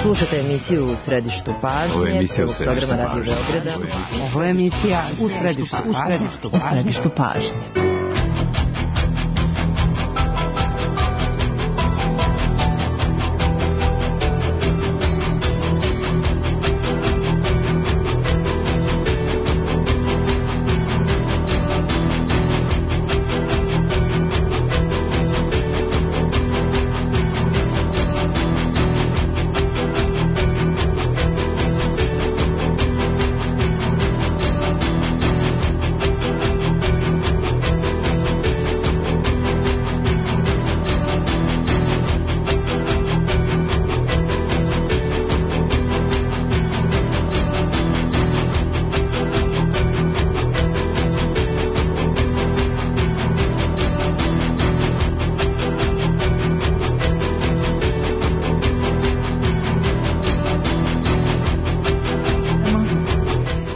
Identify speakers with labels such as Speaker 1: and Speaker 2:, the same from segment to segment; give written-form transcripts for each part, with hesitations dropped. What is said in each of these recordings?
Speaker 1: Slušate emisiju U središtu pažnje, programa Radio Beograda.
Speaker 2: Ovo je emisija U središtu pažnje.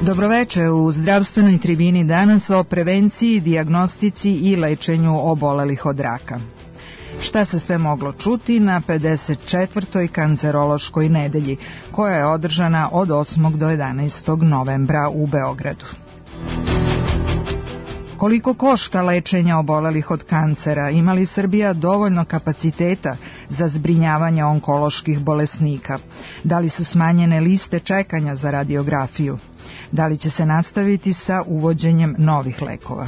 Speaker 3: Dobroveče, u zdravstvenoj tribini danas o prevenciji, dijagnostici i lečenju obolelih od raka. Šta se sve moglo čuti na 54. kancerološkoj nedelji, koja je održana od 8. do 11. novembra u Beogradu. Koliko košta lečenje obolelih od kancera? Ima li Srbija dovoljno kapaciteta za zbrinjavanje onkoloških bolesnika? Da li su smanjene liste čekanja za radiografiju? Da li će se nastaviti sa uvođenjem novih lekova?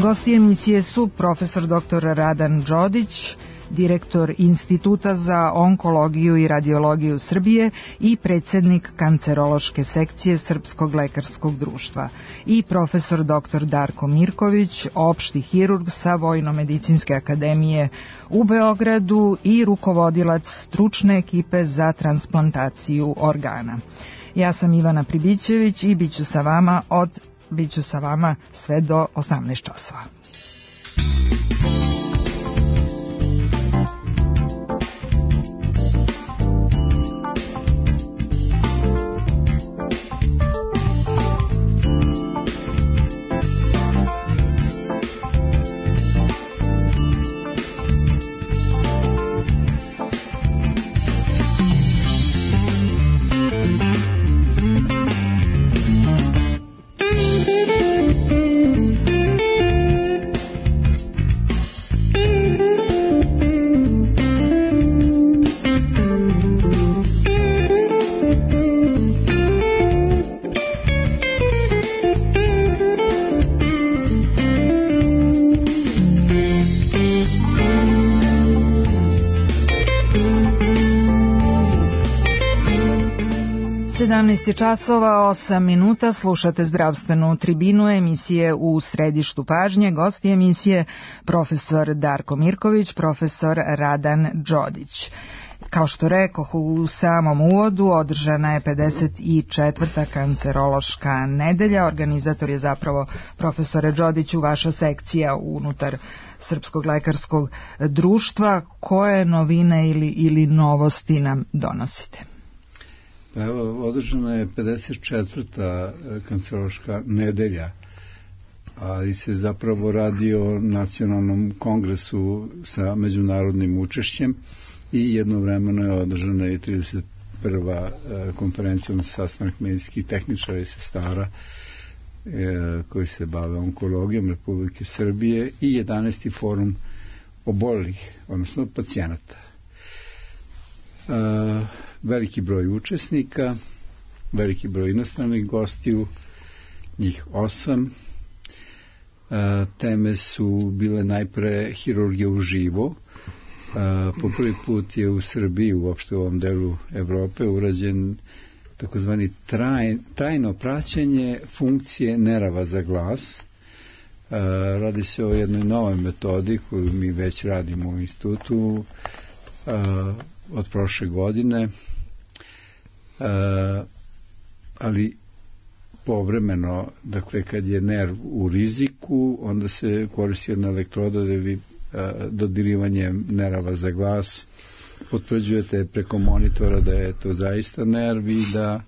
Speaker 3: Gosti emisije su profesor dr. Radan Đodić, direktor Instituta za onkologiju i radiologiju Srbije i predsjednik kancerološke sekcije Srpskog lekarskog društva, i profesor dr. Darko Mirković, opšti hirurg sa Vojno-medicinske akademije u Beogradu i rukovodilac stručne ekipe za transplantaciju organa. Ja sam Ivana Pribićević i bit ću sa vama sve do 18 časova. Časova 8 minuta, slušate zdravstvenu tribinu emisije U središtu pažnje. Gosti emisije profesor Darko Mirković, profesor Radan Đodić. Kao što rekoh u samom uvodu, održana je 54. kancerološka nedelja. Organizator je zapravo, profesore Đodiću, vaša sekcija unutar Srpskog lekarskog društva. Koje novine ili novosti nam donosite?
Speaker 4: Pa evo, održana je 54. kancerološka nedelja, ali se zapravo radi o nacionalnom kongresu sa međunarodnim učešćem i jednovremeno je održana i 31. konferencijom sastanak medicinskih tehničara i sestara koji se bave onkologijom Republike Srbije i 11. forum obolelih, odnosno pacijenata. Veliki broj učesnika, veliki broj inostranih gostiju, njih 8. Teme su bile najpre hirurgija uživo. Po prvi put je u Srbiji, uopšte u ovom delu Evrope, urađen takozvani trajno praćenje funkcije nerava za glas. Radi se o jednoj novoj metodi koju mi već radimo u institutu od prošle godine, ali povremeno, dakle kad je nerv u riziku, onda se koristi jedna elektroda da vi dodirivanjem nerava za glas potvrđujete preko monitora da je to zaista nerv i da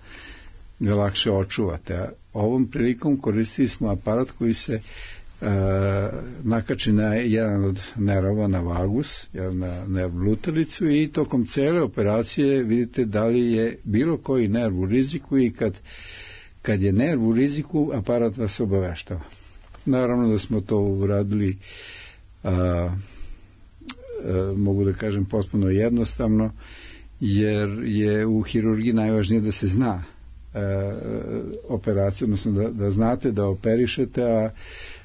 Speaker 4: ga lakše očuvate. A ovom prilikom koristili smo aparat koji se nakači na jedan od nerava, na vagus, na nerv lutalicu, i tokom cele operacije vidite da li je bilo koji nerv u riziku, i kad je nerv u riziku, aparat vas obaveštava. Naravno da smo to uradili, mogu da kažem potpuno jednostavno, jer je u hirurgiji najvažnije da se zna operacija, odnosno da znate da operišete, a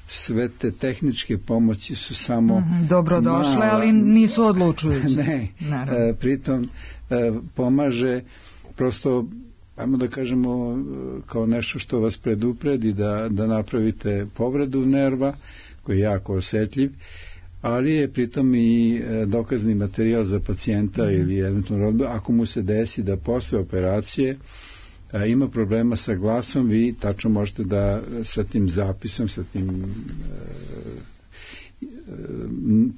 Speaker 4: sve te tehničke pomoći su samo
Speaker 3: dobrodošle, ali nisu odlučujući.
Speaker 4: Ne, pritom pomaže prosto, ajmo da kažemo, kao nešto što vas predupredi da napravite povredu nerva koji je jako osetljiv, ali je pritom i dokazni materijal za pacijenta ili eventualno ako mu se desi da posle operacije ima problema sa glasom, vi tačno možete da sa tim zapisom, sa tim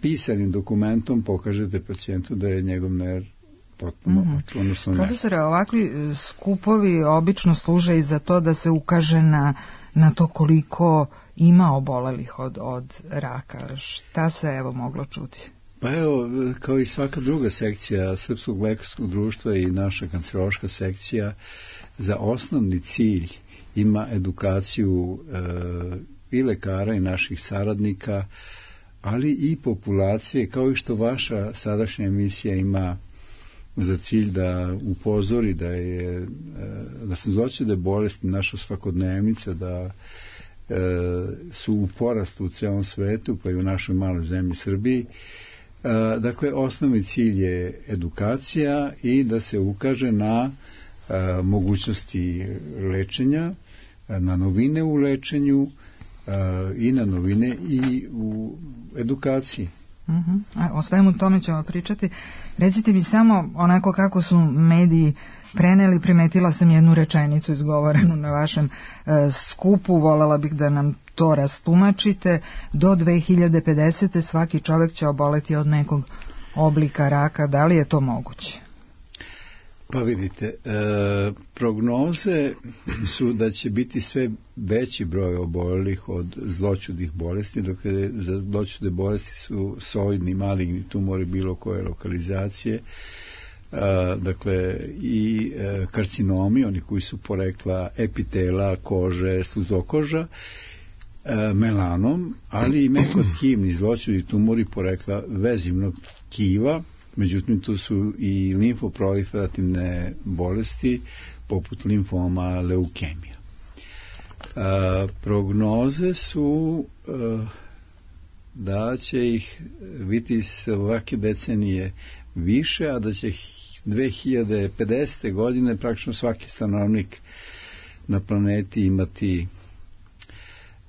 Speaker 4: pisanim dokumentom pokažete pacijentu da je njegov nerv potpuno odnosno ne.
Speaker 3: Profesore, ovakvi skupovi obično služe i za to da se ukaže na to koliko ima obolelih od raka. Šta se evo moglo čuti?
Speaker 4: Pa evo, kao i svaka druga sekcija Srpskog lekarskog društva i naša kancerološka sekcija za osnovni cilj ima edukaciju i lekara i naših saradnika, ali i populacije, kao i što vaša sadašnja emisija ima za cilj da upozori da su zloćude bolesti naša svakodnevnica, da su u porastu u celom svetu, pa i u našoj maloj zemlji Srbiji. Dakle, osnovni cilj je edukacija i da se ukaže na mogućnosti lečenja, na novine u lečenju i na novine i u edukaciji.
Speaker 3: O svemu tome ćemo pričati. Recite mi samo onako kako su mediji preneli, primetila sam jednu rečenicu izgovorenu na vašem skupu, voljela bih da nam to rastumačite. Do 2050. svaki čovjek će oboleti od nekog oblika raka. Da li je to moguće?
Speaker 4: Pa vidite, prognoze su da će biti sve veći broj obolelih od zloćudnih bolesti, dok za zloćudne bolesti su soidni, maligni tumori bilo koje lokalizacije, dakle i karcinomi, oni koji su porekla epitela, kože, sluzokoža, melanom, ali i mekotkivni zloćudni tumori porekla vezivnog tkiva. Međutim, tu su i limfoproliferativne bolesti poput limfoma, leukemija. Prognoze su da će ih biti svake decenije više, a da će 2050. godine praktično svaki stanovnik na planeti imati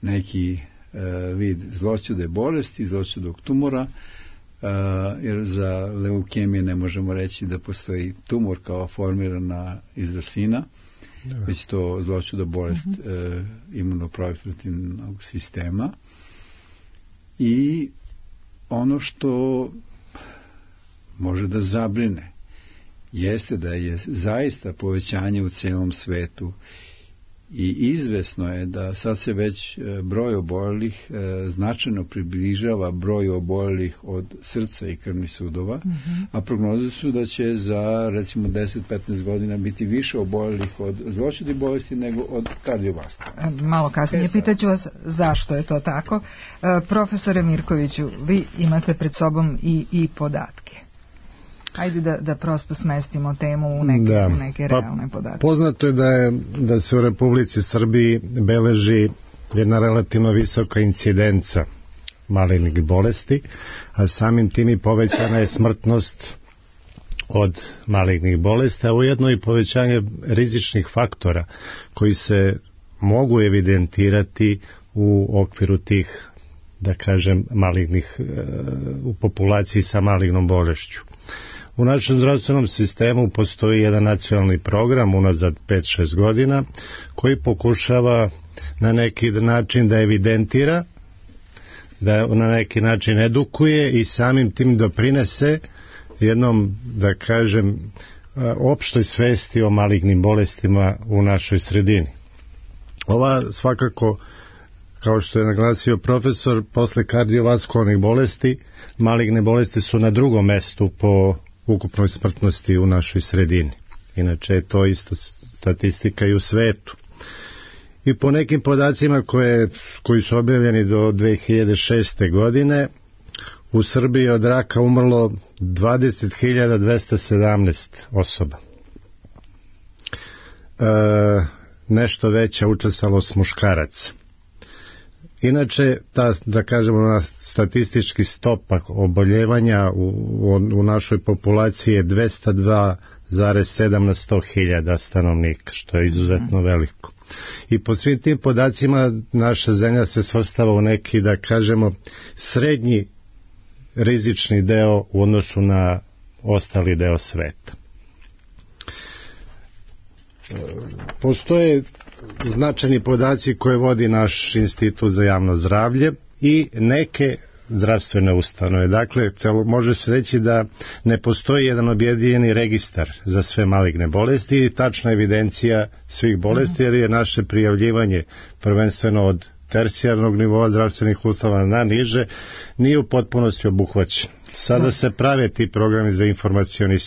Speaker 4: neki vid zloćude bolesti, zloćudog tumora, jer za leukemije ne možemo reći da postoji tumor kao formirana iz rasina, već to zloćuda bolest imunoproliferativnog sistema. I ono što može da zabrine jeste da je zaista povećanje u celom svetu i izvesno je da sad se već broj obolelih značajno približava broju obolelih od srca i krvnih sudova, a prognoze su da će za recimo 10-15 godina biti više obolelih od zloćudnih bolesti nego od kardiovaskularnih.
Speaker 3: Malo kasnije pitaću vas zašto je to tako. Profesore Mirkoviću, vi imate pred sobom i podatke. Ajde da prosto smestimo temu u neke realne podatke.
Speaker 5: Poznato je da se u Republici Srbiji beleži jedna relativno visoka incidenca malignih bolesti, a samim tim i povećana je smrtnost od malignih bolesti, a ujedno i povećanje rizičnih faktora koji se mogu evidentirati u okviru tih, da kažem, malignih u populaciji sa malignom bolešću. U našem zdravstvenom sistemu postoji jedan nacionalni program unazad 5-6 godina koji pokušava na neki način da evidentira, da na neki način edukuje i samim tim doprinese jednom, da kažem, opštoj svesti o malignim bolestima u našoj sredini. Ova svakako kao što je naglasio profesor, posle kardiovaskularnih bolesti, maligne bolesti su na drugom mestu po ukupnoj smrtnosti u našoj sredini. Inače je to isto statistika i u svetu. I po nekim podacima koji su objavljeni do 2006. godine, u Srbiji od raka umrlo 20.217 osoba. Nešto veća učestalost muškaraca. Inače, da kažemo, statistički stopak oboljevanja u našoj populaciji je 202,7 na 100.000 stanovnika, što je izuzetno veliko. I po svim tim podacima naša zemlja se svrstava u neki, da kažemo, srednji rizični deo u odnosu na ostali deo sveta. Postoje značajni podaci koje vodi naš Institut za javno zdravlje i neke zdravstvene ustanove. Dakle, može se reći da ne postoji jedan objedinjeni registar za sve maligne bolesti i tačna evidencija svih bolesti, jer je naše prijavljivanje prvenstveno od tercijarnog nivoa zdravstvenih ustanova na niže, nije u potpunosti obuhvaćen. Sada se prave ti programi za informacione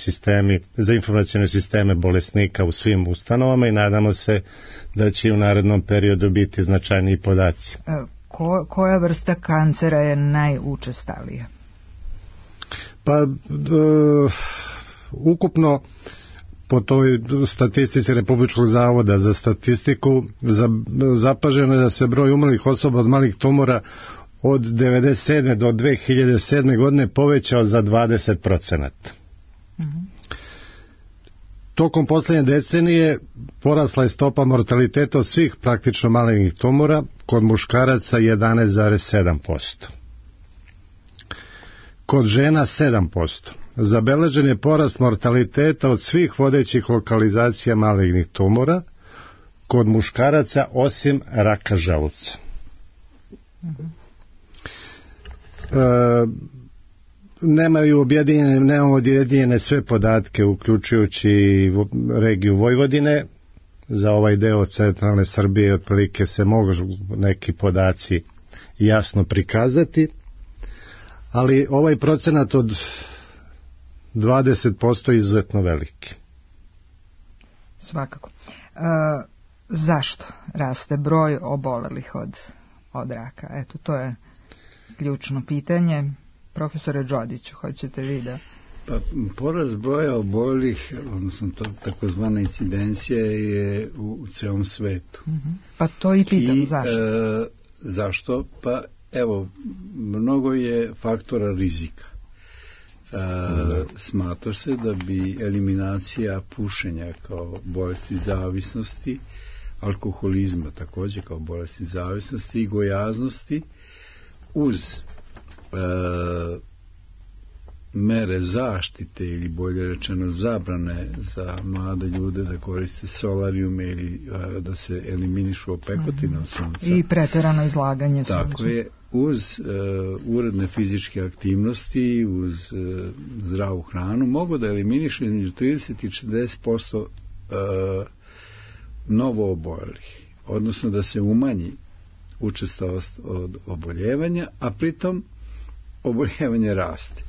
Speaker 5: sisteme bolesnika u svim ustanovama i nadamo se da će u narednom periodu biti značajniji podaci.
Speaker 3: Koja vrsta kancera je najučestalija?
Speaker 5: Pa, ukupno po toj statistici Republičkog zavoda za statistiku zapaženo je da se broj umrlih osoba od malih tumora od 1997. do 2007. godine povećao za 20%. Tokom poslednje decenije porasla je stopa mortaliteta od svih praktično malignih tumora, kod muškaraca 11,7%. Kod žena 7%. Zabeležen je porast mortaliteta od svih vodećih lokalizacija malignih tumora, kod muškaraca osim raka želuca. Nemamo objedinjene sve podatke, uključujući regiju Vojvodine. Za ovaj deo centralne Srbije otprilike se mogu neki podaci jasno prikazati, ali ovaj procenat od 20% je izuzetno veliki.
Speaker 3: Svakako. Zašto raste broj obolelih od raka? Eto, to je ključno pitanje. Profesore Đodiću, hoćete vi da...
Speaker 4: Pa, porast broja obolelih, odnosno takozvana incidencija je u celom svetu.
Speaker 3: Pa to i pitam, zašto?
Speaker 4: Zašto? Pa evo, mnogo je faktora rizika. Smatra se da bi eliminacija pušenja kao bolesti zavisnosti, alkoholizma takođe kao bolesti zavisnosti i gojaznosti uz mere zaštite ili bolje rečeno zabrane za mlade ljude da koriste solarijume ili da se eliminišu opekotine od sunca.
Speaker 3: I preterano izlaganje sunca.
Speaker 4: Tako je, uz uredne fizičke aktivnosti, uz zdravu hranu, mogu da eliminišu između 30 i 40% novo obolelih, odnosno da se umanji učestalost od oboljevanja, a pritom oboljevanje raste.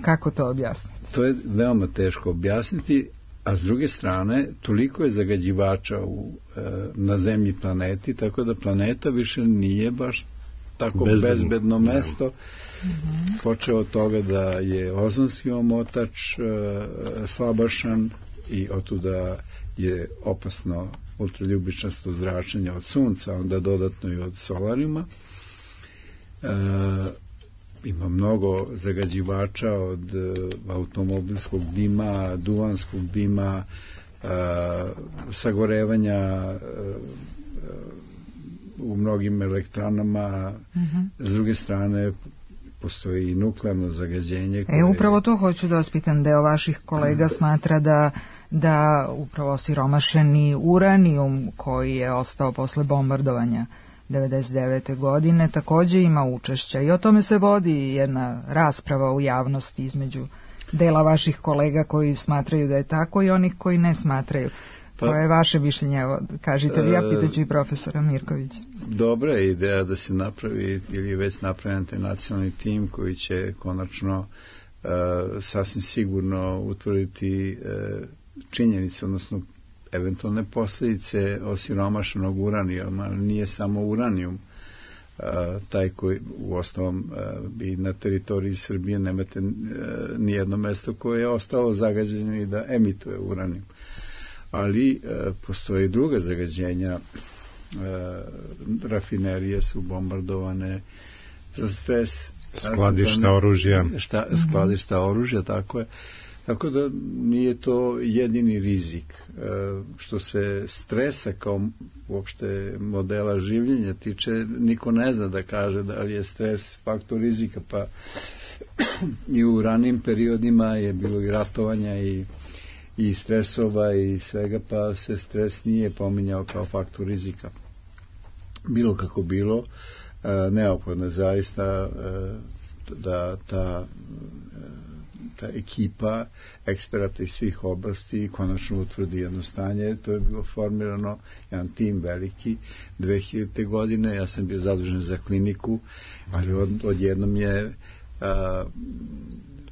Speaker 3: Kako to objasniti?
Speaker 4: To je veoma teško objasniti, a s druge strane toliko je zagađivača na zemlji planeti, tako da planeta više nije baš tako bezbedno mesto. Počeo od toga da je ozonski omotač slabašan i otuda je opasno ultraljubičasto zračenje od sunca, onda dodatno i od solarijuma. Ima mnogo zagađivača od automobilskog dima, duvanskog dima, sagorevanja u mnogim elektranama. S druge strane postoji i nuklearno zagađenje.
Speaker 3: Upravo to hoću da vas pitam. Deo vaših kolega smatra da upravo siromašeni uranijum koji je ostao posle bombardovanja 1999. godine takođe ima učešća i o tome se vodi jedna rasprava u javnosti između dela vaših kolega koji smatraju da je tako i onih koji ne smatraju. Koje je vaše mišljenje? Evo, kažite vi, ja pitaću i profesora Mirkovića.
Speaker 4: Dobra je ideja da se napravi ili već napravljen taj nacionalni tim koji će konačno sasvim sigurno utvrditi činjenice, odnosno eventualne posljedice osiromašenog uranijuma. Nije samo uranijum taj koji u osnovom bi na teritoriji Srbije nemate nijedno mesto koje je ostalo zagađeno i da emituje uranijum. Ali postoji druga zagađenja. Rafinerije su bombardovane za stres.
Speaker 5: Skladišta oružja.
Speaker 4: Skladišta oružja, tako je. Tako da nije to jedini rizik. Što se stresa kao uopšte modela življenja tiče, niko ne zna da kaže da li je stres faktor rizika, pa i u ranim periodima je bilo i ratovanja i stresova i svega, pa se stres nije pominjao kao faktor rizika. Bilo kako bilo, neophodno je zaista da ta ekipa eksperata iz svih oblasti konačno utvrdi jedno stanje. To je bilo formirano, jedan tim veliki 2000. godine, ja sam bio zadužen za kliniku, ali odjednom je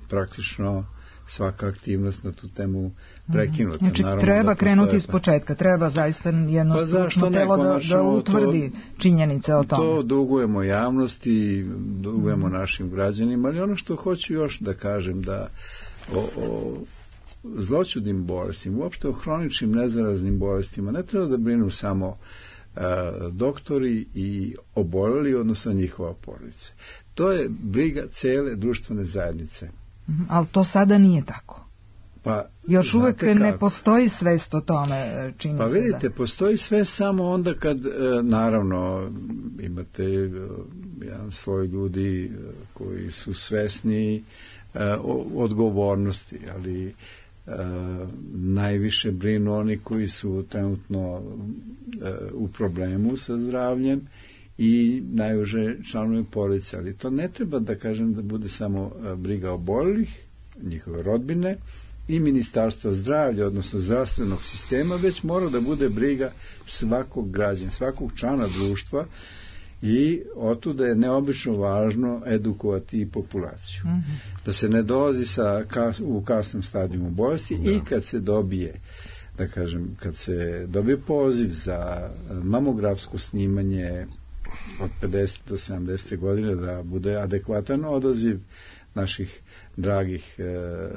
Speaker 4: praktično svaka aktivnost na tu temu prekinuta.
Speaker 3: Znači treba krenuti iz početka, treba zaista jedno stručno telo da utvrdi činjenice o tome.
Speaker 4: To dugujemo javnosti, dugujemo našim građanima, ali ono što hoću još da kažem, da o zloćudnim bolestima, uopšte o hroničnim nezaraznim bolestima, ne treba da brinu samo doktori i oboljeli, odnosno njihova porodica. To je briga cele društvene zajednice.
Speaker 3: Ali to sada nije tako.
Speaker 4: Pa,
Speaker 3: još uvek ne postoji svest o tome, čini se.
Speaker 4: Pa vidite, postoji sve samo onda kad, naravno, imate jedan sloj ljudi koji su svesni odgovornosti, ali najviše brinu oni koji su trenutno u problemu sa zdravljem i najuže članovi porodice, ali to ne treba da kažem da bude samo briga oboljelih, njihove rodbine i Ministarstva zdravlja, odnosno zdravstvenog sistema, već mora da bude briga svakog građana, svakog člana društva, i otuda je neobično važno edukovati i populaciju. Da se ne dolazi u kasnom stadijumu bolesti i kad se dobije, da kažem, kad se dobije poziv za mamografsko snimanje od 50 do 70 godine, da bude adekvatan odaziv naših dragih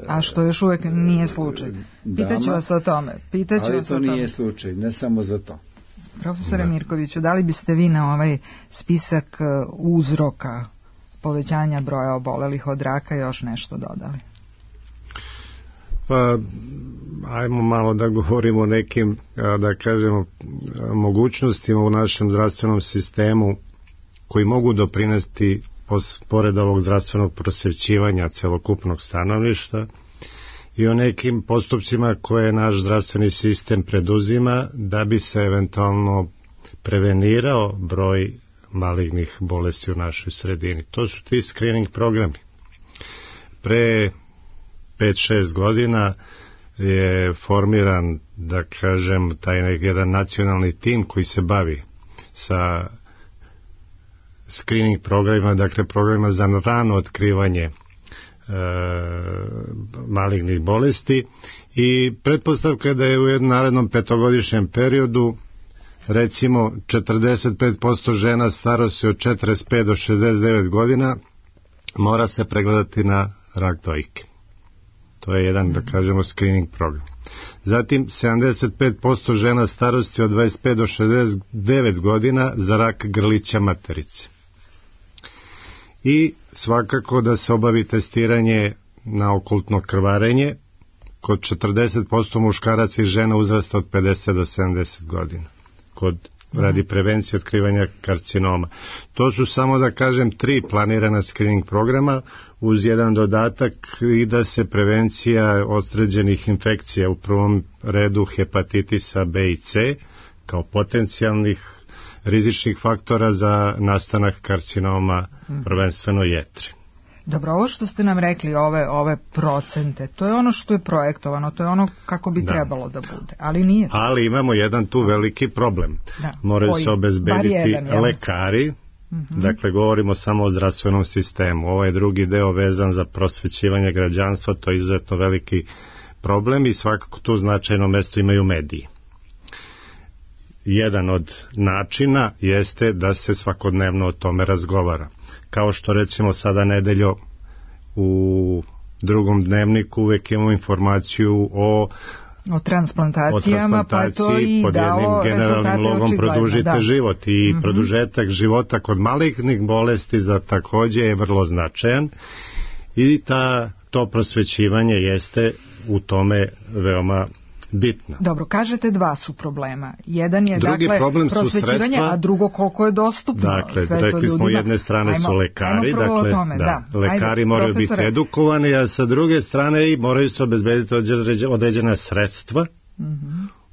Speaker 3: a što još uvijek nije slučaj. Pitaću vas o tome.
Speaker 4: Ali to nije slučaj, ne samo za to.
Speaker 3: Profesore Mirkoviću, da li biste vi na ovaj spisak uzroka povećanja broja obolelih od raka još nešto dodali?
Speaker 5: Pa, ajmo malo da govorimo o nekim, da kažemo, mogućnostima u našem zdravstvenom sistemu koji mogu doprinesti pored ovog zdravstvenog prosvećivanja celokupnog stanovništva i o nekim postupcima koje naš zdravstveni sistem preduzima da bi se eventualno prevenirao broj malignih bolesti u našoj sredini. To su ti screening programi. Pre 5-6 godina je formiran, da kažem, taj jedan nacionalni tim koji se bavi sa screening programima, dakle programima za rano otkrivanje malignih bolesti, i pretpostavka da je u jednom narednom 5-godišnjem periodu recimo 45% žena starosti od 45 do 69 godina mora se pregledati na rak dojke. To je jedan, da kažemo, screening program. Zatim 75% žena starosti od 25 do 69 godina za rak grlića materice. I svakako da se obavi testiranje na okultno krvarenje kod 40% muškaraca i žena uzrasta od 50 do 70 godina radi prevencije otkrivanja karcinoma. To su samo, da kažem, 3 planirana screening programa uz jedan dodatak i da se prevencija određenih infekcija, u prvom redu hepatitisa B i C, kao potencijalnih rizičnih faktora za nastanak karcinoma, prvenstveno jetre.
Speaker 3: Dobro, ovo što ste nam rekli, ove procente, to je ono što je projektovano, to je ono kako bi trebalo da bude, ali nije.
Speaker 5: Ali imamo jedan tu veliki problem. Moraju se obezbediti lekari, dakle govorimo samo o zdravstvenom sistemu. Ovaj drugi deo vezan za prosvećivanje građanstva, to je izuzetno veliki problem i svakako tu značajno mesto imaju mediji. Jedan od načina jeste da se svakodnevno o tome razgovara. Kao što recimo sada nedeljo u Drugom dnevniku uvek imamo informaciju o
Speaker 3: transplantacijama, pa to i
Speaker 5: pod jednim generalnim logom produžite život i produžetak života kod malignih bolesti za takođe je vrlo značajan i to prosvećivanje jeste u tome veoma bitno.
Speaker 3: Dobro, kažete dva su problema. Jedan je prosvećivanje, a drugo koliko je dostupno.
Speaker 5: Dakle, rekli smo jedne strane su lekari, lekari moraju biti edukovani, a sa druge strane i moraju se obezbediti određena sredstva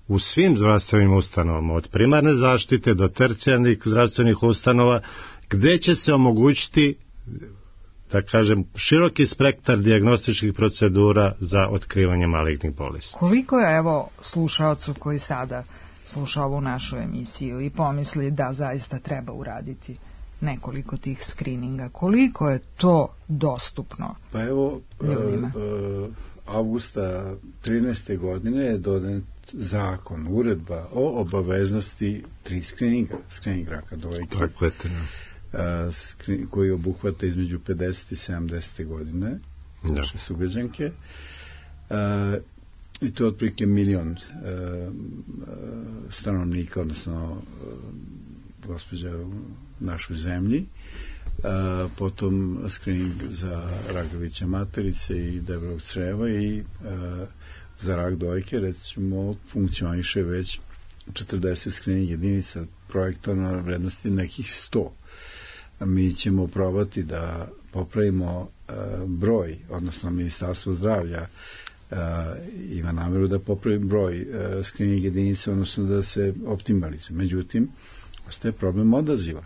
Speaker 5: u svim zdravstvenim ustanovama, od primarne zaštite do tercijarnih zdravstvenih ustanova, gde će se omogućiti, da kažem, široki spektar dijagnostičkih procedura za otkrivanje malignih bolesti.
Speaker 3: Koliko je, evo, slušaocu koji sada sluša ovu našu emisiju i pomisli da zaista treba uraditi nekoliko tih skrininga, koliko je to dostupno?
Speaker 4: Pa evo, avgusta 13. godine je donet zakon, uredba o obaveznosti 3 skrininga, skrining raka dojke.
Speaker 5: Tako je,
Speaker 4: koji obuhvata između 50 i 70. godine naše sugrađanke i to je otprilike 1 milion stanovnika, odnosno gospođa u našoj zemlji, potom skrining za rak grlića materice i debelog creva i za rak dojke, recimo, funkcioniše već 40 skrining jedinica projektovano na vrednosti nekih 100. Mi ćemo probati da popravimo broj, odnosno Ministarstvo zdravlja ima nameru da popravi broj skrining jedinica, odnosno da se optimalizuje. Međutim, ostaje problem odaziva.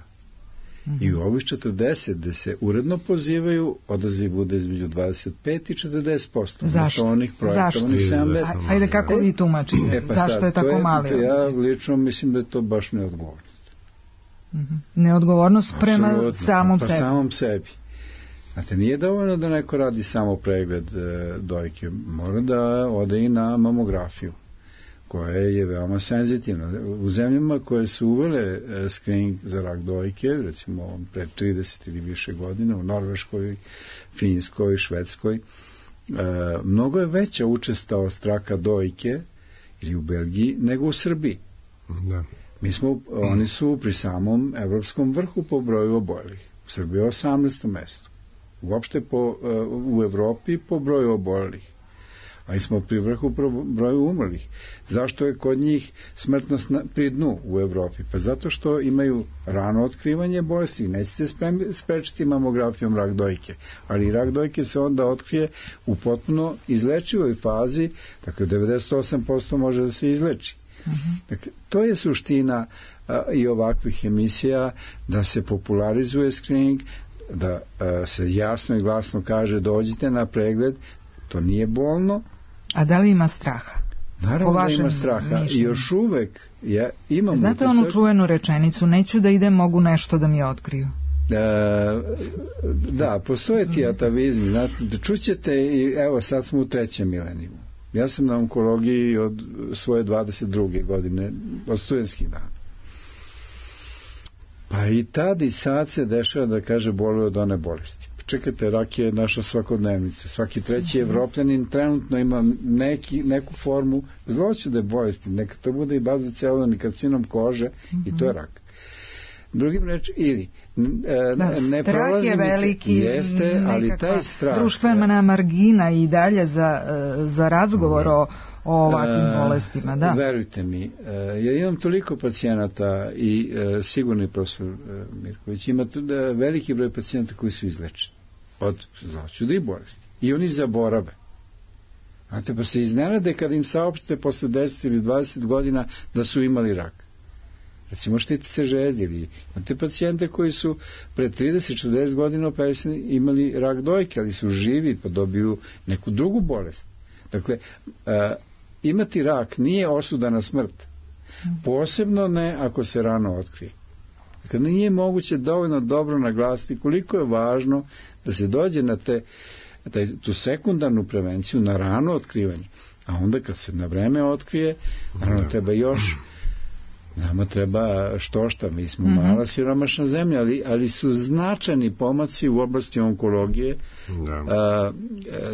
Speaker 4: I u ovih 40 gde se uredno pozivaju, odaziv bude između 25 i 40%.
Speaker 3: Zašto?
Speaker 4: Zašto? 70.
Speaker 3: Ajde, kako vi tumačite? Zašto je tako mali odaziv?
Speaker 4: Ja lično mislim da je to baš neodgovornost.
Speaker 3: Neodgovornost prema samom sebi.
Speaker 4: Samom sebi. Znate, nije dovoljno da neko radi samo pregled dojke, mora da ode i na mamografiju, koja je veoma senzitivna. U zemljama koje su uvele screening za rak dojke, recimo pre 30 ili više godina, u Norveškoj, Finskoj, Švedskoj, mnogo je veća učestalost raka dojke ili u Belgiji nego u Srbiji.
Speaker 5: Da.
Speaker 4: Oni su pri samom evropskom vrhu po broju obolelih. U Srbiji je 18. mesto. Uopšte u Evropi po broju obolelih. Ali smo pri vrhu po broju umrlih. Zašto je kod njih smrtnost pri dnu u Evropi? Pa zato što imaju rano otkrivanje bolesti. Nećete sprečiti mamografijom rak dojke. Ali rak dojke se onda otkrije u potpuno izlečivoj fazi, dakle 98% može da se izleči. Dakle, to je suština i ovakvih emisija, da se popularizuje screening, da se jasno i glasno kaže dođite na pregled, to nije bolno.
Speaker 3: A da li ima straha?
Speaker 4: Naravno da ima straha i još uvek imamo...
Speaker 3: Znate onu čuvenu rečenicu, neću da idem, mogu nešto da mi otkriju.
Speaker 4: Da, postoje ti atavizmi, čućete i evo sad smo u 3. milenijumu. Ja sam na onkologiji od svoje 22. godine, od studentskih dana. Pa i tad i sad se dešava da kaže boluje od one bolesti. Čekajte, rak je naša svakodnevnica. Svaki 3. Evropljanin trenutno ima neku formu zloćude bolesti. Neka to bude i bazocelularni karcinom kože i to je rak. Drugim reč, ili ne prolazi mi se, jeste, ali taj strah...
Speaker 3: društvena margina i dalje za razgovor o ovakvim bolestima, da.
Speaker 4: Verujte mi, ja imam toliko pacijenata i sigurni profesor Mirković, ima veliki broj pacijenata koji su izlečeni od zloćude i bolesti. I oni zaborave. Znate, pa se iznenade kad im saopštite posle 10 ili 20 godina da su imali rak. recimo štitice žeđi, ili imate pacijente koji su pre 30-40 godina operisani imali rak dojke, ali su živi pa dobiju neku drugu bolest. Dakle, imati rak nije osuda na smrt, posebno ne ako se rano otkrije. Dakle, nije moguće dovoljno dobro naglasiti koliko je važno da se dođe na tu sekundarnu prevenciju, na rano otkrivanje, a onda kad se na vreme otkrije, naravno treba još, nama treba štošta, mi smo mala siromašna zemlja, ali su značajni pomaci u oblasti onkologije.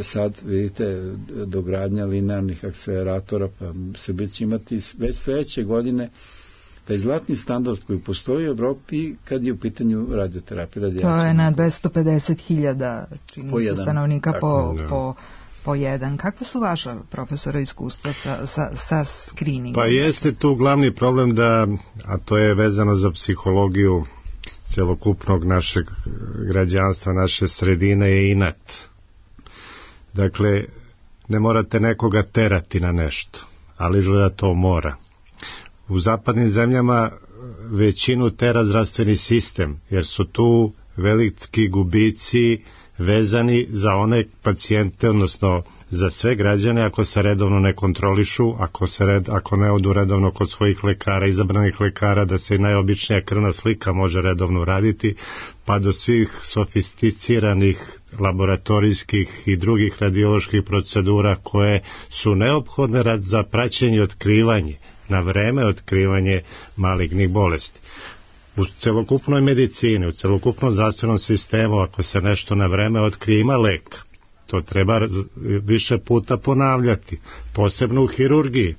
Speaker 4: Sad vidite dogradnja linearnih akceleratora, pa Srbija će imati već sledeće godine taj zlatni standard koji postoji u Evropi kad je u pitanju radioterapija.
Speaker 3: To je na 250.000 stanovnika po jedan. Kakva su vaša, profesora, iskustva sa screeningom?
Speaker 5: Pa jeste tu glavni problem a to je vezano za psihologiju celokupnog našeg građanstva, naše sredine, je inat. Dakle, ne morate nekoga terati na nešto, ali izgleda to mora. U zapadnim zemljama većinu tera zdravstveni sistem, jer su tu veliki gubici vezani za one pacijente, odnosno za sve građane, ako se redovno ne kontrolišu, ako ne odu redovno kod svojih lekara, izabranih lekara, da se i najobičnija krvna slika može redovno raditi, pa do svih sofisticiranih laboratorijskih i drugih radioloških procedura koje su neophodne za praćenje i otkrivanje, na vreme otkrivanje malignih bolesti. U celokupnoj medicini, u celokupnom zdravstvenom sistemu, ako se nešto na vreme otkrije, ima lek. To treba više puta ponavljati, posebno u hirurgiji.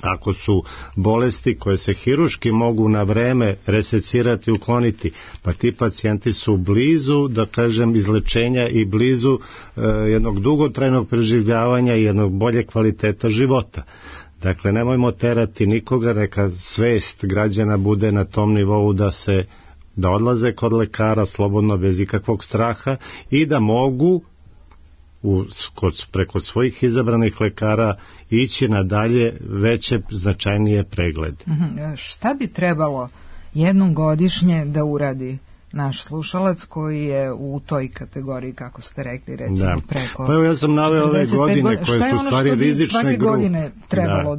Speaker 5: Ako su bolesti koje se hiruški mogu na vreme resecirati, ukloniti, pa ti pacijenti su blizu, da kažem, izlečenja i blizu jednog dugotrajnog preživljavanja i jednog bolje kvaliteta života. Dakle, nemojmo terati nikoga, neka svest građana bude na tom nivou da odlaze kod lekara slobodno, bez ikakvog straha, i da mogu preko svojih izabranih lekara ići na dalje veće, značajnije preglede.
Speaker 3: Šta bi trebalo jednom godišnje da uradi naš slušalac koji je u toj kategoriji, kako ste rekli, recimo preko...
Speaker 5: Pa evo, ja sam naveo ove godine koje su stvari rizične grupe.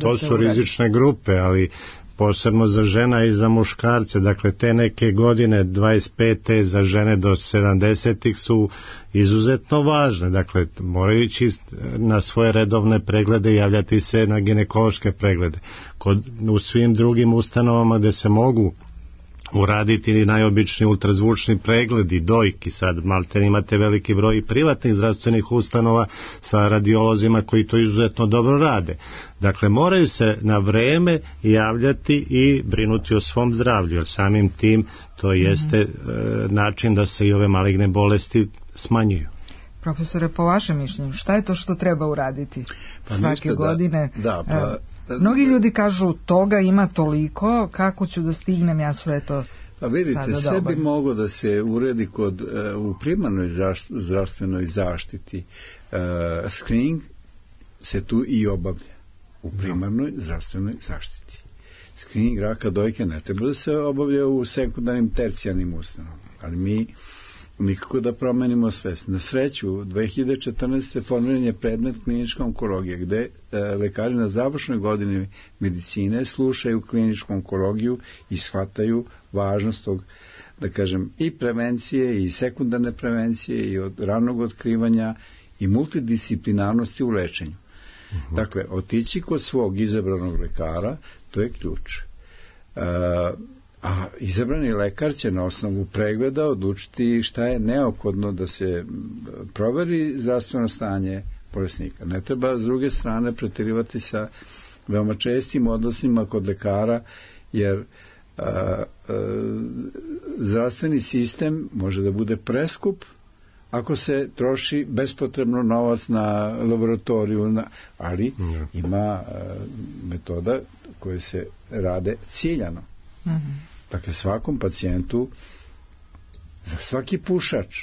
Speaker 5: To su rizične grupe, ali posebno za žena i za muškarce. Dakle, te neke godine 25. za žene do 70. su izuzetno važne. Dakle, moraju ići na svoje redovne preglede i javljati se na ginekološke preglede. U svim drugim ustanovama gde se mogu uraditi najobičniji ultrazvučni pregledi, dojki, sad malte imate veliki broj privatnih zdravstvenih ustanova sa radiolozima koji to izuzetno dobro rade. Dakle, moraju se na vreme javljati i brinuti o svom zdravlju, jer samim tim to jeste način da se i ove maligne bolesti smanjuju.
Speaker 3: Profesore, po vašem mišljenju, šta je to što treba uraditi svake godine? Mnogi ljudi kažu, toga ima toliko, kako ću da stignem ja sve to?
Speaker 4: Pa vidite, sve bi moglo da se uredi u primarnoj zdravstvenoj zaštiti. Screening se tu i obavlja u primarnoj zdravstvenoj zaštiti. Screening raka dojke ne treba da se obavlja u sekundarnim, tercijarnim ustanovama, ali mi nikako da promenimo svest. Na sreću, 2014. formiran je predmet klinička onkologija, gde lekari na završnoj godini medicine slušaju kliničku onkologiju i shvataju važnost tog, da kažem, i prevencije i sekundarne prevencije i od ranog otkrivanja i multidisciplinarnosti u lečenju. Dakle, otići kod svog izabranog lekara, to je ključ. A izabrani lekar će na osnovu pregleda odlučiti šta je neophodno da se proveri zdravstveno stanje bolesnika. Ne treba s druge strane preterivati sa veoma čestim odnosima kod lekara, jer zdravstveni sistem može da bude preskup ako se troši bespotrebno novac na laboratoriju, ali ima metoda koje se rade ciljano. Dakle, svakom pacijentu, za svaki pušač,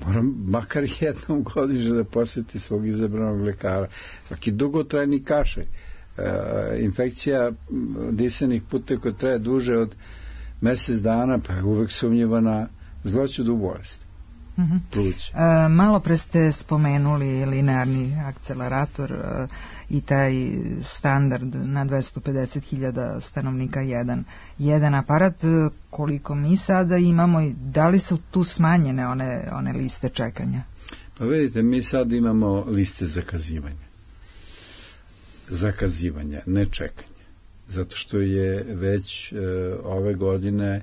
Speaker 4: moram makar jednom godišnje da posjeti svog izabranog lekara. Svaki dugotrajni kašalj, infekcija disanih puteva koja traje duže od mjesec dana, pa je uvek sumnjiva na zloćudnu bolest.
Speaker 3: Malo pre ste spomenuli linearni akcelerator i taj standard na 250.000 stanovnika jedan aparat. Koliko mi sada imamo i da li su tu smanjene one liste čekanja?
Speaker 4: Pa vidite, mi sad imamo liste zakazivanja, ne čekanja. Zato što je već ove godine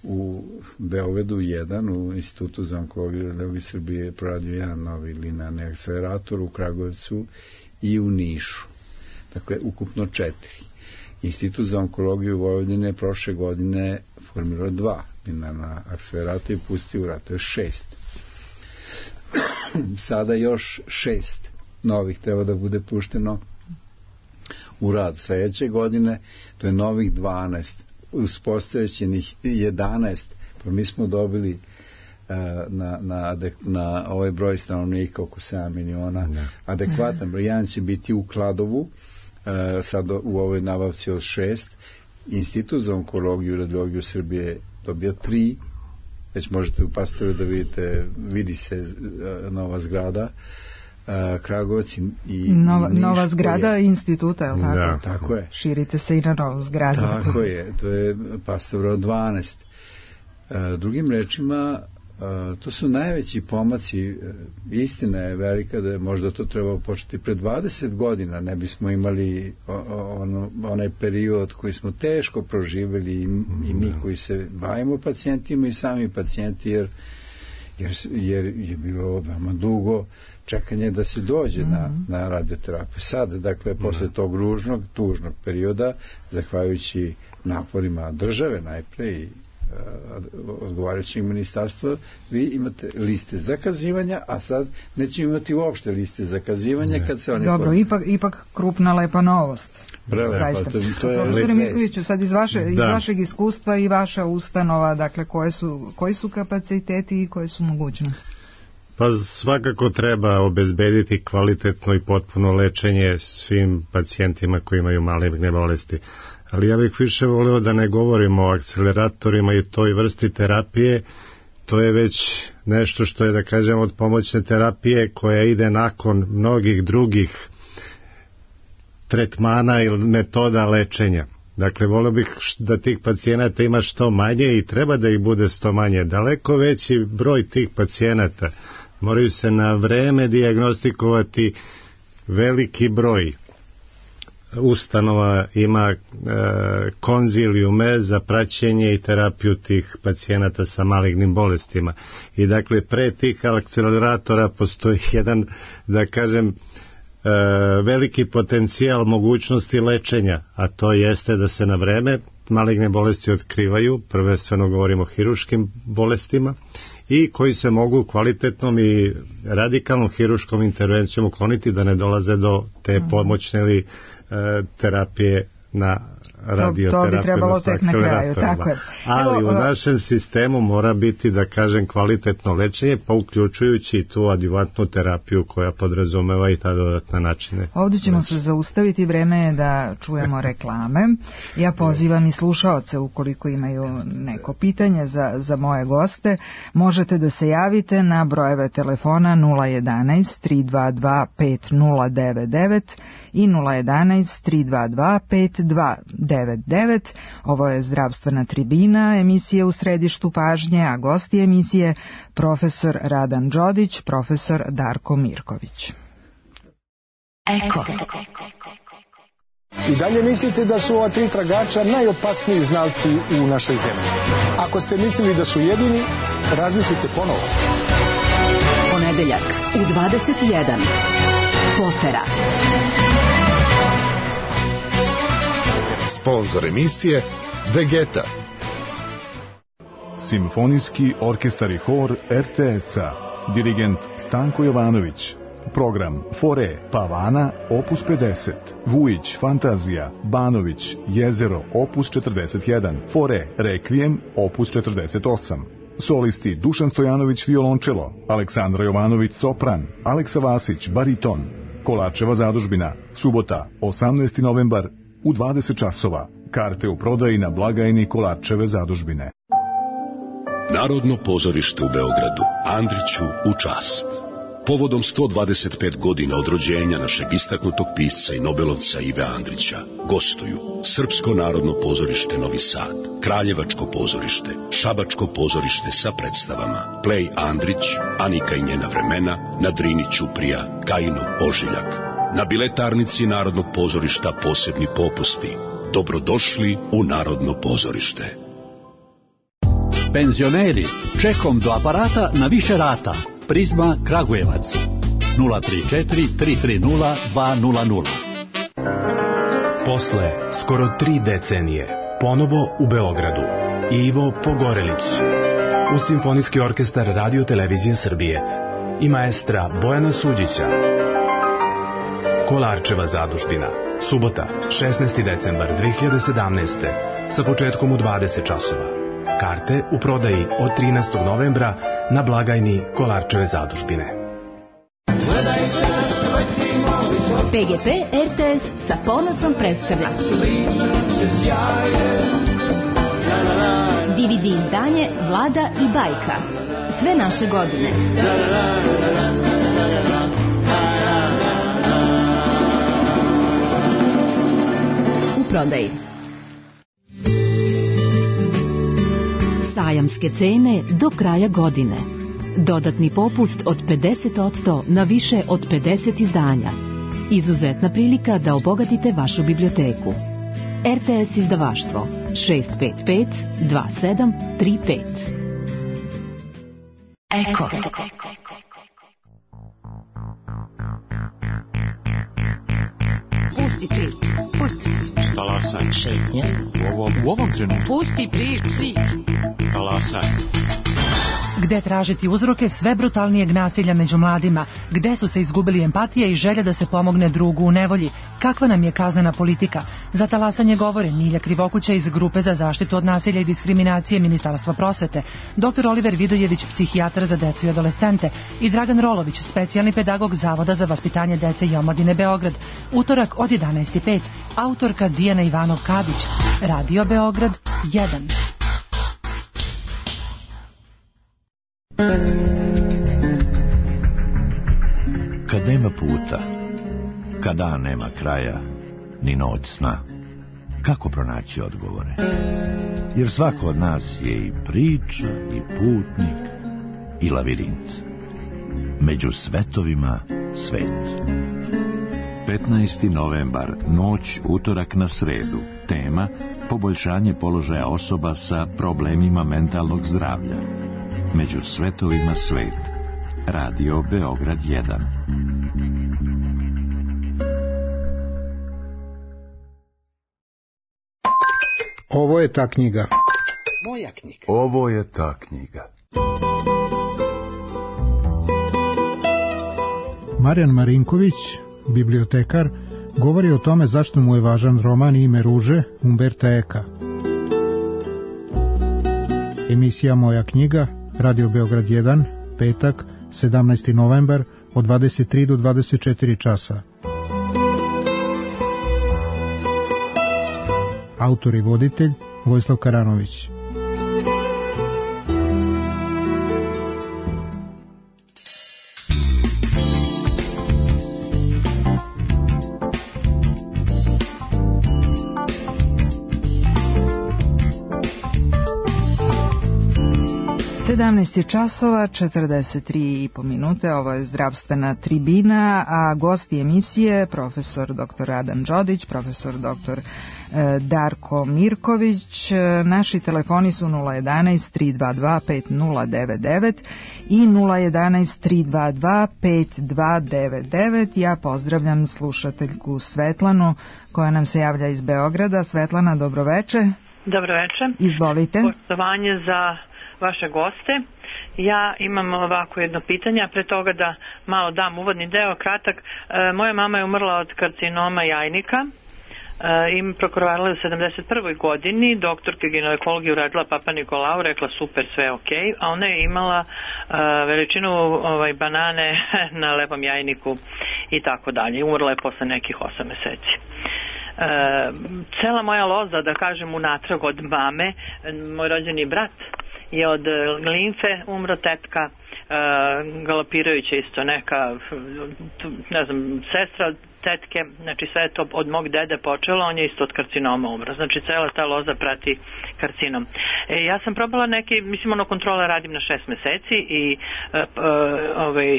Speaker 4: u Beogradu 1, u Institutu za onkologiju i radiologiju Srbije proradio jedan novi linearni akcelerator, u Kragujevcu i u Nišu. Dakle, ukupno 4. Institut za onkologiju Vojvodine prošle godine formirao 2 linearna akceleratora i pustio u rad, to je 6. Sada još 6 novih treba da bude pušteno u rad. Sljedeće godine to je novih 12, uz postojećih 11, pa mi smo dobili na ovaj broj stanovnika oko 7 miliona adekvatan broj. Jedan će biti u Kladovu, sad u ovoj nabavci od 6. Institut za onkologiju i radiologiju Srbije dobio 3, već možete u Pastoru da vidite, vidi se nova zgrada, Kragujevac i
Speaker 3: nova zgrada instituta, je li tako?
Speaker 4: Da, tako je.
Speaker 3: Širite se i na novu zgradu.
Speaker 4: Tako je, to je Pastora 12. Drugim rečima, to su najveći pomaci. Istina je velika da je možda to trebalo početi pre 20 godina, ne bismo imali onaj period koji smo teško proživjeli i mi koji se bavimo pacijentima i sami pacijenti, jer je bilo veoma dugo čekanje da se dođe na radioterapiju. Sad, dakle, posle tog tužnog perioda, zahvaljujući naporima države najpre i odgovarajućeg ministarstva, vi imate liste zakazivanja, a sad neće imati uopšte liste zakazivanja kad se oni...
Speaker 3: Dobro, ipak krupna lepa novost.
Speaker 4: Prelepa, to je
Speaker 3: Profesore Mikoviću, sad iz vašeg iskustva i vaša ustanova, dakle, koji su kapaciteti i koje su mogućnosti?
Speaker 5: Pa svakako treba obezbediti kvalitetno i potpuno lečenje svim pacijentima koji imaju maligne bolesti. Ali ja bih više volio da ne govorimo o akceleratorima i toj vrsti terapije. To je već nešto što je, da kažem, od pomoćne terapije koja ide nakon mnogih drugih tretmana ili metoda lečenja. Dakle, volio bih da tih pacijenata ima što manje i treba da ih bude što manje. Daleko veći broj tih pacijenata moraju se na vreme dijagnostikovati. Veliki broj ustanova ima konzilijume za praćenje i terapiju tih pacijenata sa malignim bolestima. I dakle, pre tih akceleratora postoji jedan, da kažem, veliki potencijal mogućnosti lečenja, a to jeste da se na vreme maligne bolesti otkrivaju, prvenstveno govorimo o hiruškim bolestima, i koji se mogu kvalitetnom i radikalnom hiruškom intervencijom ukloniti da ne dolaze do te pomoćne ili terapije na radioterapiju.
Speaker 3: To bi trebalo tek na kraju, tako je.
Speaker 5: Ali u našem sistemu mora biti, da kažem, kvalitetno lečenje, pa uključujući i tu adjuvantnu terapiju koja podrazumeva i ta dodatna načine.
Speaker 3: Ovdje ćemo se zaustaviti, vreme je da čujemo reklame. Ja pozivam i slušaoce, ukoliko imaju neko pitanje za moje goste, možete da se javite na brojeve telefona 011 322 5099 i 011 322 5299. Ovo je Zdravstvena tribina, emisija u središtu pažnje, a gosti emisije profesor Radan Đodić, profesor Darko Mirković.
Speaker 6: Eko. I dalje mislite da su ova 3 tragača najopasniji znalci u našoj zemlji. Ako ste mislili da su jedini, razmislite ponovo.
Speaker 2: Ponedeljak u 21. Potera.
Speaker 7: Sponzor emisije Vegeta.
Speaker 8: Simfonijski orkestar i hor RTS-a. Dirigent Stanko Jovanović. Program Fore Pavana opus 50, Vujić Fantazija, Banović Jezero opus 41, Fore Rekvijem opus 48. Solisti Dušan Stojanović violončelo, Aleksandra Jovanović sopran, Aleksa Vasić bariton. Kolarčeva zadužbina. Subota, 18. novembar u 20 časova. Karte u prodaji na blagajni Kolarčeve zadužbine.
Speaker 9: Narodno pozorište u Beogradu. Andriću u čast. Povodom 125 godina od rođenja našeg istaknutog pisca i nobelovca Ive Andrića gostuju Srpsko narodno pozorište Novi Sad, Kraljevačko pozorište, Šabačko pozorište sa predstavama Plej Andrić, Anika i njena vremena, na Drini Ćuprija, Kajinov ožiljak. Na biletarnici Narodnog pozorišta posebni popusti. Dobrodošli u Narodno pozorište.
Speaker 10: Penzioneri, čekom do aparata na više rata. Prizma Kragujevac 034 330 200.
Speaker 11: Posle skoro 3 decenije ponovo u Beogradu Ivo Pogorelić uz Simfonijski orkestar Radio Televizije Srbije i maestra Bojana Suđića. Kolarčeva zadužbina. Subota, 16. decembar 2017. sa početkom u 20 časova. Karte u prodaji od 13. novembra na blagajni Kolarčeve zadužbine.
Speaker 2: PGP RTS sa ponosom predstavlja DVD izdanje Vlada i bajka. Sve naše godine. U prodaji. Sajamske cene do kraja godine. Dodatni popust od 50% na više od 50 izdanja. Izuzetna prilika da obogatite vašu biblioteku. RTS izdavaštvo 655 2735. Eko.
Speaker 12: Pusti prič. Talasaj.
Speaker 13: Šetnja.
Speaker 12: U ovom trenutku.
Speaker 13: Pusti prič.
Speaker 12: Talasaj.
Speaker 14: Gde tražiti uzroke sve brutalnijeg nasilja među mladima? Gde su se izgubili empatija i želja da se pomogne drugu u nevolji? Kakva nam je kaznena politika? Za talasanje govore Milja Krivokuća iz Grupe za zaštitu od nasilja i diskriminacije Ministarstva prosvete, dr. Oliver Vidojević, psihijatar za decu i adolescente i Dragan Rolović, specijalni pedagog Zavoda za vaspitanje dece i omladine Beograd. Utorak od 11:05. Autorka Dijana Ivanov-Kadić. Radio Beograd 1.
Speaker 15: Kad nema puta, kad dan nema kraja, ni noć sna, kako pronaći odgovore? Jer svako od nas je i priča, i putnik, i lavirint. Među svetovima svet.
Speaker 16: 15. novembar, noć utorak na sredu. Tema: poboljšanje položaja osoba sa problemima mentalnog zdravlja. Među svetovima svet. Radio Beograd 1.
Speaker 6: Ovo je ta knjiga.
Speaker 17: Moja knjiga.
Speaker 18: Ovo je ta knjiga.
Speaker 6: Marijan Marinković, bibliotekar, govori o tome zašto mu je važan roman Ime ruže Umberta Eka. Emisija Moja knjiga, Radio Beograd 1, petak, 17. novembar, od 23 do 24 časa. Autor i voditelj Vojislav Karanović.
Speaker 3: časova 43,5 minute. Ovo je zdravstvena tribina, a gosti emisije profesor dr. Radan Đodić, profesor dr. Darko Mirković. Naši telefoni su 011 322 5099 i 011 322 5299. Ja pozdravljam slušateljku Svetlanu koja nam se javlja iz Beograda. Svetlana, dobroveče.
Speaker 19: Dobroveče.
Speaker 3: Izvolite.
Speaker 19: Poštovanje za vaše goste. Ja imam ovako jedno pitanje, a pre toga da malo dam uvodni deo, kratak. Moja mama je umrla od karcinoma jajnika i prokrvarila je u 71. godini. Doktorka ginekologije uradila Papa Nikolau, rekla super, sve ok, a ona je imala veličinu banane na levom jajniku. i tako dalje. Umrla je posle nekih 8 meseci. Cela moja loza, da kažem, unatrag od mame, moj rođeni brat je od limfe umro, tetka galopirajuća isto neka, ne znam, sestra tetke, znači sve je to od mog dede počelo, on je isto od karcinoma umro, znači cela ta loza prati karcinom. Ja sam probala neki, mislim, kontrole radim na 6 meseci i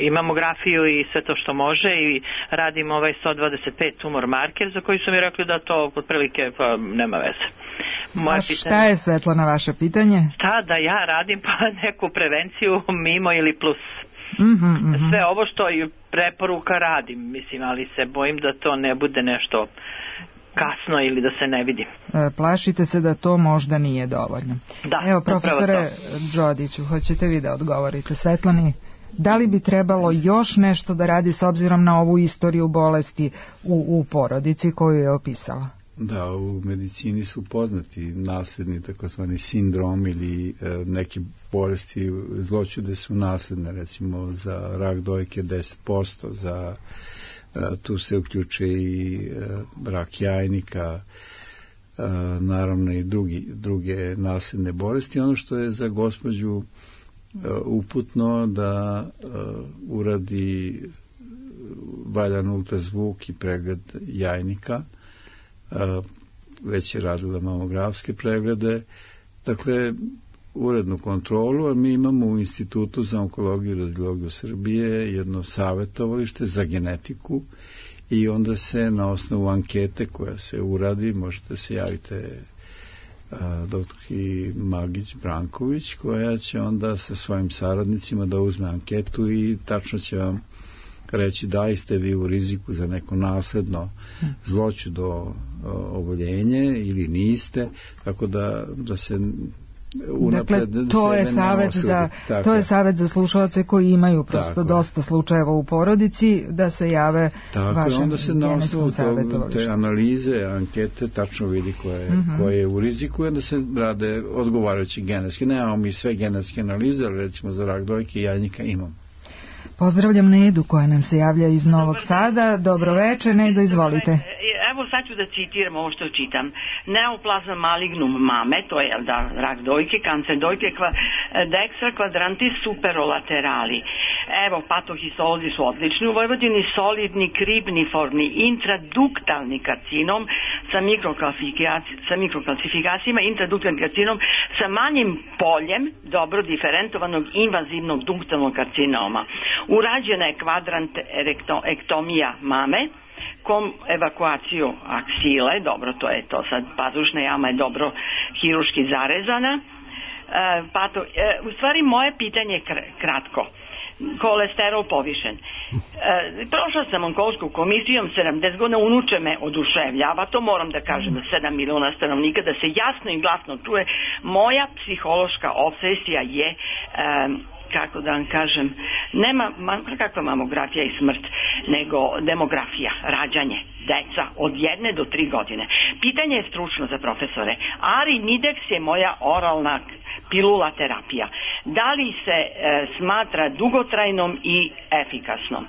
Speaker 19: i mamografiju i sve to što može i radim 125 tumor marker za koji su mi rekli da to otprilike nema veze.
Speaker 3: Šta je, Svetlana, vaše pitanje?
Speaker 19: Šta da ja radim, pa neku prevenciju mimo ili plus. Sve ovo što i preporuka radim, mislim, ali se bojim da to ne bude nešto kasno ili da se ne vidi.
Speaker 3: Plašite se da to možda nije dovoljno.
Speaker 19: Da,
Speaker 3: evo, profesore Đodiću, hoćete vi da odgovorite Svetlani? Da li bi trebalo još nešto da radi s obzirom na ovu istoriju bolesti u porodici koju je opisala?
Speaker 4: Da, u medicini su poznati nasledni takozvani sindrom ili neke bolesti zloćude su nasledne, recimo za rak dojke 10%, za tu se uključe i rak jajnika, naravno i druge nasledne bolesti. Ono što je za gospođu uputno da uradi valjan ultrazvuk i pregled jajnika, već je radila mamografske preglede, dakle urednu kontrolu, a mi imamo u Institutu za onkologiju i radiologiju Srbije jedno savjetovalište za genetiku i onda se na osnovu ankete koja se uradi, možete se javite doktorki Magić Branković, koja će onda sa svojim saradnicima da uzme anketu i tačno će vam reći da li ste vi u riziku za neko nasledno zloćudo oboljenje ili niste, tako da se unapred...
Speaker 3: Dakle, to je savjet za slušalce koji imaju prosto dosta slučajeva u porodici, da se jave vašem genetskom savjetovalištu.
Speaker 4: Te analize, ankete, tačno vidi ko je u riziku i onda se rade odgovarajući genetski. Nemamo mi sve genetske analize, ali recimo za rak dojke i jajnika imamo.
Speaker 3: Pozdravljam Nedu koja nam se javlja iz Novog Sada. Dobro večer, Nedo, izvolite.
Speaker 13: Evo sad ću da citiram ovo što čitam. Neoplazma malignum mame, to je rak dojke, kancer dojke, dextra quadrantis superolaterali. Evo, patohistolozi su odlični u Vojvodini, solidni, kribniformni, intraduktalni karcinom sa mikrokalcifikacijama, intraduktalni karcinom sa manjim poljem dobro diferentovanog invazivnog duktalnog karcinoma. Urađena je kvadrant ektomija mame, evakuaciju aksile, dobro, to je to sad, pazušna jama je dobro hiruški zarezana. U stvari moje pitanje je kratko. Kolesterol povišen. Prošla sam onkolsku komisijom, 70 godina, unuče me oduševljava, to moram da kažem, 7 miliona stanovnika, da se jasno i glasno čuje. Moja psihološka obsesija je kako da vam kažem, nema kakva mamografija i smrt, nego demografija, rađanje, deca od 1 do 3 godine. Pitanje je stručno za profesore. Arimidex je moja oralna pilula terapija. Da li se smatra dugotrajnom i efikasnom?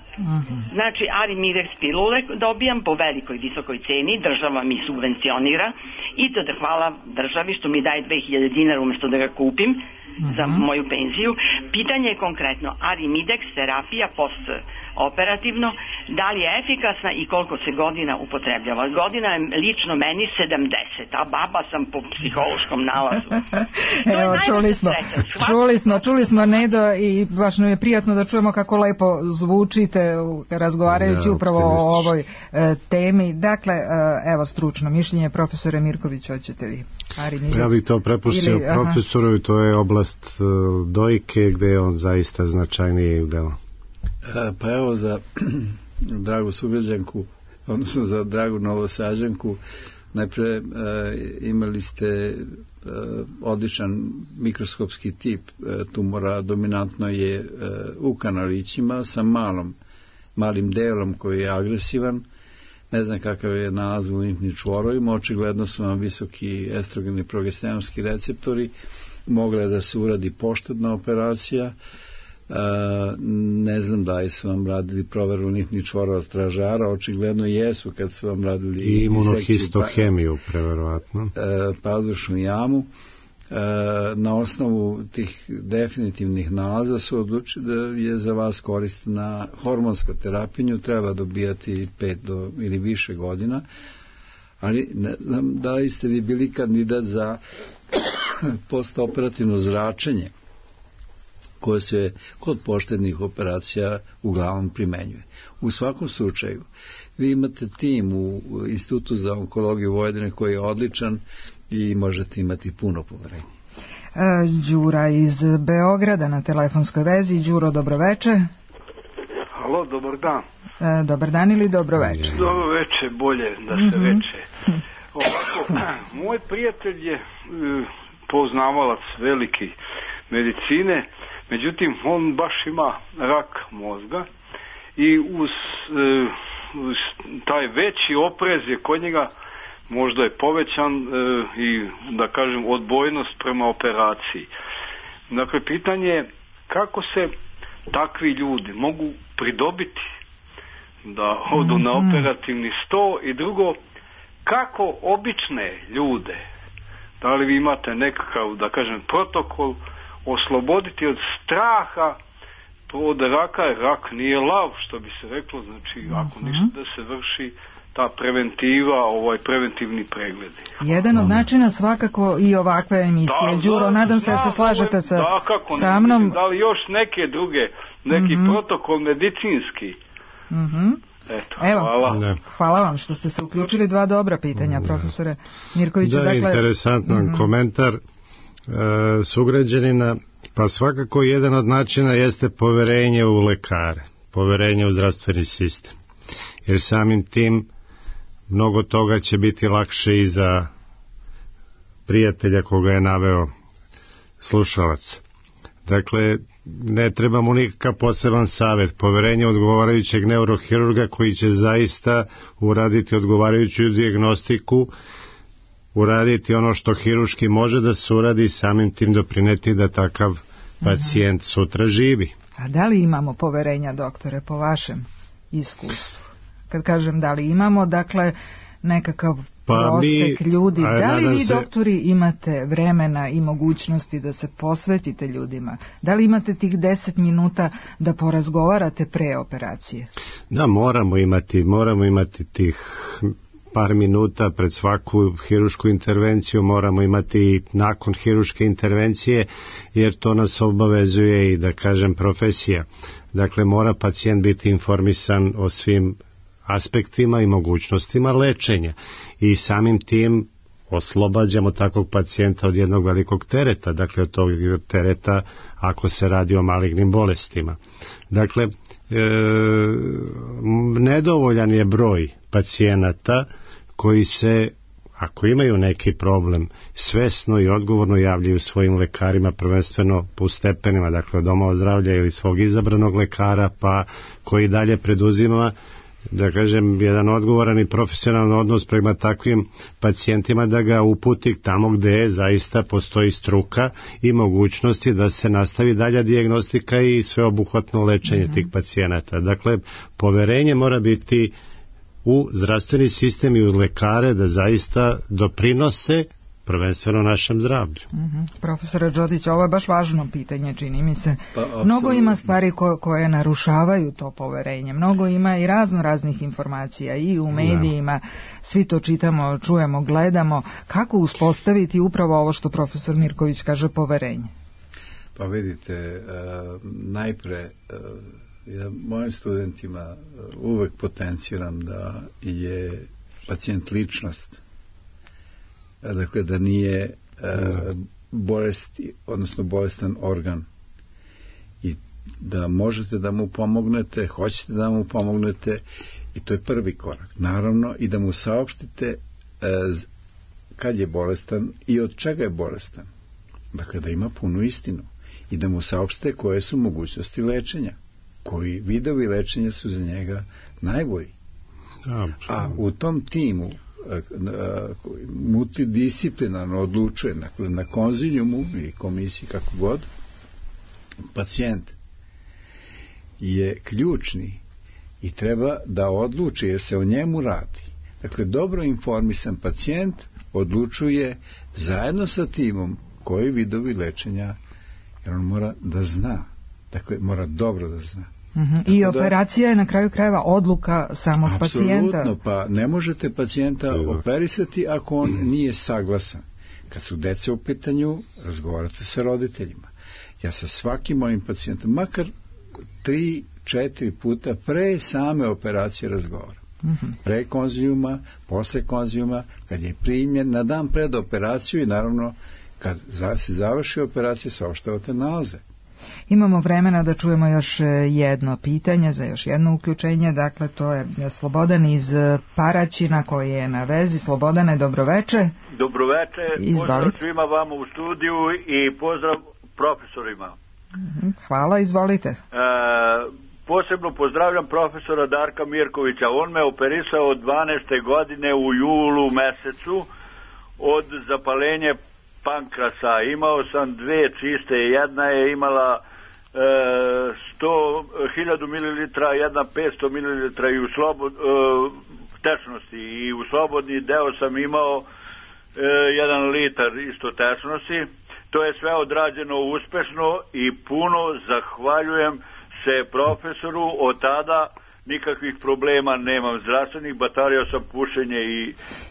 Speaker 13: Znači, Arimidex pilule dobijam po velikoj, visokoj ceni, država mi subvencionira i to da hvala državi što mi daje 2000 dinara umesto da ga kupim za moju penziju. Pitanje je konkretno, Arimidex terapija postoperativno, da li je efikasna i koliko se godina upotrebljava? Godina je lično meni 70, a baba sam po psihološkom nalazu.
Speaker 3: Evo, čuli smo Nedo, i baš nam je prijatno da čujemo kako lepo zvučite razgovarajući upravo o ovoj temi. Dakle, evo stručno mišljenje, profesore Mirković, hoćete vi?
Speaker 5: Ja bih to prepustio profesoru, to je oblast dojke gde je on zaista značajniji udeo.
Speaker 4: Pa evo, za dragu sugrađanku, odnosno za dragu Novosađanku, najpre imali ste odličan mikroskopski tip tumora, dominantno je u kanalićima sa malim delom koji je agresivan. Ne znam kakav je nalaz u limfnim čvorovima, očigledno su vam visoki estrogeni i progesteronski receptori, mogla je da se uradi poštedna operacija. Ne znam da li su vam radili proveru limfnih čvorova stražara, očigledno jesu kad su vam radili
Speaker 5: i imunohistohemiju, preverovatno.
Speaker 4: Pazušnu jamu. Na osnovu tih definitivnih nalaza su odlučili da je za vas korisna hormonska terapija, treba dobijati 5 ili više godina, ali ne znam da li ste vi bili kandidat za postoperativno zračenje koje se kod poštednih operacija uglavnom primenjuje. U svakom slučaju, vi imate tim u Institutu za onkologiju Vojvodine koji je odličan i možete imati puno poverenja.
Speaker 3: Đura iz Beograda na telefonskoj vezi. Đuro, dobroveče.
Speaker 17: Halo, dobar dan.
Speaker 3: Dobar dan ili dobroveče?
Speaker 17: Dobroveče, bolje da se veče. Moj prijatelj je poznavalac veliki medicine, međutim on baš ima rak mozga i uz taj veći oprez je kod njega možda je povećan i da kažem odbojnost prema operaciji. Dakle, pitanje je kako se takvi ljudi mogu pridobiti da odu na operativni sto i drugo, kako obične ljude, da li vi imate nekakav, da kažem, protokol osloboditi od straha od raka, jer rak nije lav, što bi se reklo, znači ako ništa da se vrši ta preventiva, preventivni pregledi.
Speaker 3: Jedan od načina svakako i ovakve emisije. Đuro, nadam se da se slažete sa mnom.
Speaker 17: Da li još neke druge, neki protokol medicinski? Eto,
Speaker 3: hvala vam što ste se uključili. Dva dobra pitanja, profesore Mirkoviću.
Speaker 5: Da, interesantan komentar sugrađanina. Pa svakako jedan od načina jeste poverenje u lekare, poverenje u zdravstveni sistem. Jer samim tim mnogo toga će biti lakše i za prijatelja koga je naveo slušalac. Dakle, ne treba mu nikakav poseban savjet, poverenje odgovarajućeg neurohirurga koji će zaista uraditi odgovarajuću dijagnostiku, uraditi ono što hiruški može da se uradi i samim tim doprineti da takav pacijent sutra živi.
Speaker 3: A da li imamo poverenja, doktore, po vašem iskustvu? Kad kažem da li imamo, dakle, nekakav prosek ljudi, da li vi, doktori, imate vremena i mogućnosti da se posvetite ljudima? Da li imate tih 10 minuta da porazgovarate pre operacije?
Speaker 5: Da, moramo imati tih par minuta pred svaku hirušku intervenciju, moramo imati i nakon hiruške intervencije, jer to nas obavezuje i, da kažem, profesija. Dakle, mora pacijent biti informisan o svim aspektima i mogućnostima lečenja i samim tim oslobađamo takvog pacijenta od jednog velikog tereta, dakle od tog tereta ako se radi o malignim bolestima. Dakle, nedovoljan je broj pacijenata koji se, ako imaju neki problem, svesno i odgovorno javljaju svojim lekarima, prvenstveno po stepenima, dakle od domova zdravlja ili svog izabranog lekara, pa koji dalje preduzima, da kažem, jedan odgovoran i profesionalan odnos prema takvim pacijentima, da ga uputi tamo gde zaista postoji struka i mogućnosti da se nastavi dalja dijagnostika i sveobuhvatno lečenje tih pacijenata. Dakle, poverenje mora biti u zdravstveni sistem i u lekare da zaista doprinose prvenstveno našem zdravlju.
Speaker 3: Profesore Đodić, ovo je baš važno pitanje, čini mi se. Mnogo ima stvari koje narušavaju to poverenje. Mnogo ima i raznih informacija i u medijima. Svi to čitamo, čujemo, gledamo. Kako uspostaviti upravo ovo što profesor Mirković kaže, poverenje?
Speaker 4: Pa vidite, najpre ja mojim studentima uvek potenciram da je pacijent ličnost, dakle da nije bolesti, odnosno bolestan organ, i da možete da mu pomognete, hoćete da mu pomognete, i to je prvi korak. Naravno i da mu saopštite kad je bolestan i od čega je bolestan, dakle da ima punu istinu, i da mu saopštite koje su mogućnosti lečenja, koji vidovi lečenja su za njega najbolji. A u tom timu multidisciplinarno odlučuje na konzilijumu i komisiji, kako god, pacijent je ključni i treba da odluči, jer se o njemu radi. Dakle, dobro informisan pacijent odlučuje zajedno sa timom koji vidovi lečenja, jer on mora da zna. Dakle, mora dobro da zna.
Speaker 3: I operacija je na kraju krajeva odluka samog pacijenta.
Speaker 4: Apsolutno, pa ne možete pacijenta operisati ako on nije saglasan. Kad su deca u pitanju, razgovarate sa roditeljima. Ja sa svakim mojim pacijentom, makar 3-4 puta pre same operacije razgovaram. Pre konzilijuma, posle konzilijuma, kad je primljen, na dan pred operaciju i naravno kad se završi operacija, saopštavate nalaze.
Speaker 3: Imamo vremena da čujemo još jedno pitanje za još jedno uključenje, dakle to je Slobodan iz Paraćina koji je na vezi. Slobodane, dobroveče.
Speaker 20: Dobroveče, pozdrav svima vama u studiju i pozdrav profesorima.
Speaker 3: Hvala, izvolite.
Speaker 20: Posebno pozdravljam profesora Darka Mirkovića, on me operisao od 12. godine u julu mesecu od zapalenja pankrasa. Imao sam dve čiste, jedna je imala 1000 ml, jedna 500 ml i u tečnosti, i u slobodni deo sam imao 1 litar isto tečnosti. To je sve odrađeno uspešno i puno zahvaljujem se profesoru. Od tada nikakvih problema nemam zdravstvenih, batario sam pušenje i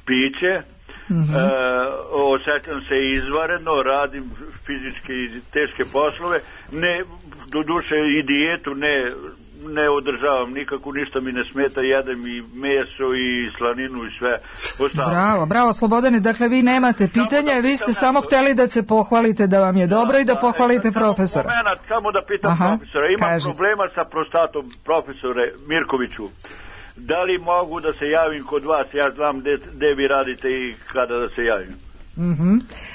Speaker 20: piće. Osjećam se izvanredno, radim fizičke i teške poslove, do duše i dijetu ne održavam nikako, ništa mi ne smeta, jedem i meso i slaninu i sve ostalo.
Speaker 3: Bravo Slobodane, dakle vi nemate pitanja, vi ste samo hteli da se pohvalite da vam je dobro i da pohvalite profesora.
Speaker 20: Samo da pitam profesora, imam problema sa prostatom, profesore Mirkoviću. Da li mogu da se javim kod vas? Ja znam gde vi radite i kada da se javim.